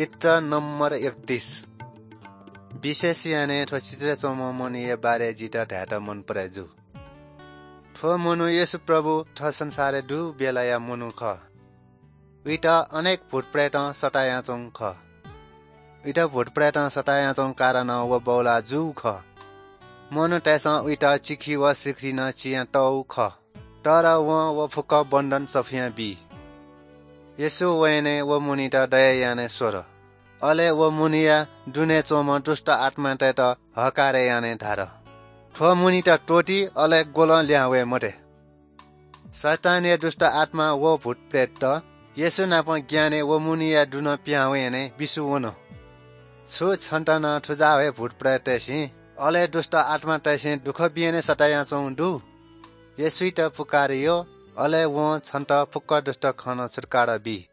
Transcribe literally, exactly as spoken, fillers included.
चित्र नम्बर एकतीस। विशेष यानाः थ्व चित्रय् च्वंम्ह मनूया बारे जितः धायेत मन परे जू। थ्व मनू येशू प्रभु थ्व संसारय् दु बेलाया मनू खः। उइत अनेक भूतप्रेतं सतायाच्वंगु खः। उइत भूतप्रेतं सतायाच्वंगु कारणं व बौलाः जूगु खः। मनूतय्सं उइत चिखि व सिखिरि नं चियातःगु खः। तर वं व फुक्क बन्धन सफुयां बी। येशू वयां व मनूयात दया यानाः स्वल। अले व मनूया दुने च्वंम्ह दुष्ट आत्मातय्त हःकार यानाः धाल, "थ्व मनूयात त्वःति, अले ग्वलं लिहां वये मते।" शैतानया दुष्ट आत्मां व भूतप्रेतत येशू नाप ग्यानाः व मनूया दुने पिहां वयाः बिस्युं वन। छु छन्त नं थुजाः हे भूतप्रेततय्सिं, अले दुष्ट आत्मातय्सिं दुःख बियाः सतायाच्वंगु दु? येशूयात पुकार यः, अले वं छन्त फुक्क दुष्ट खँ नं छुत्कारा बी।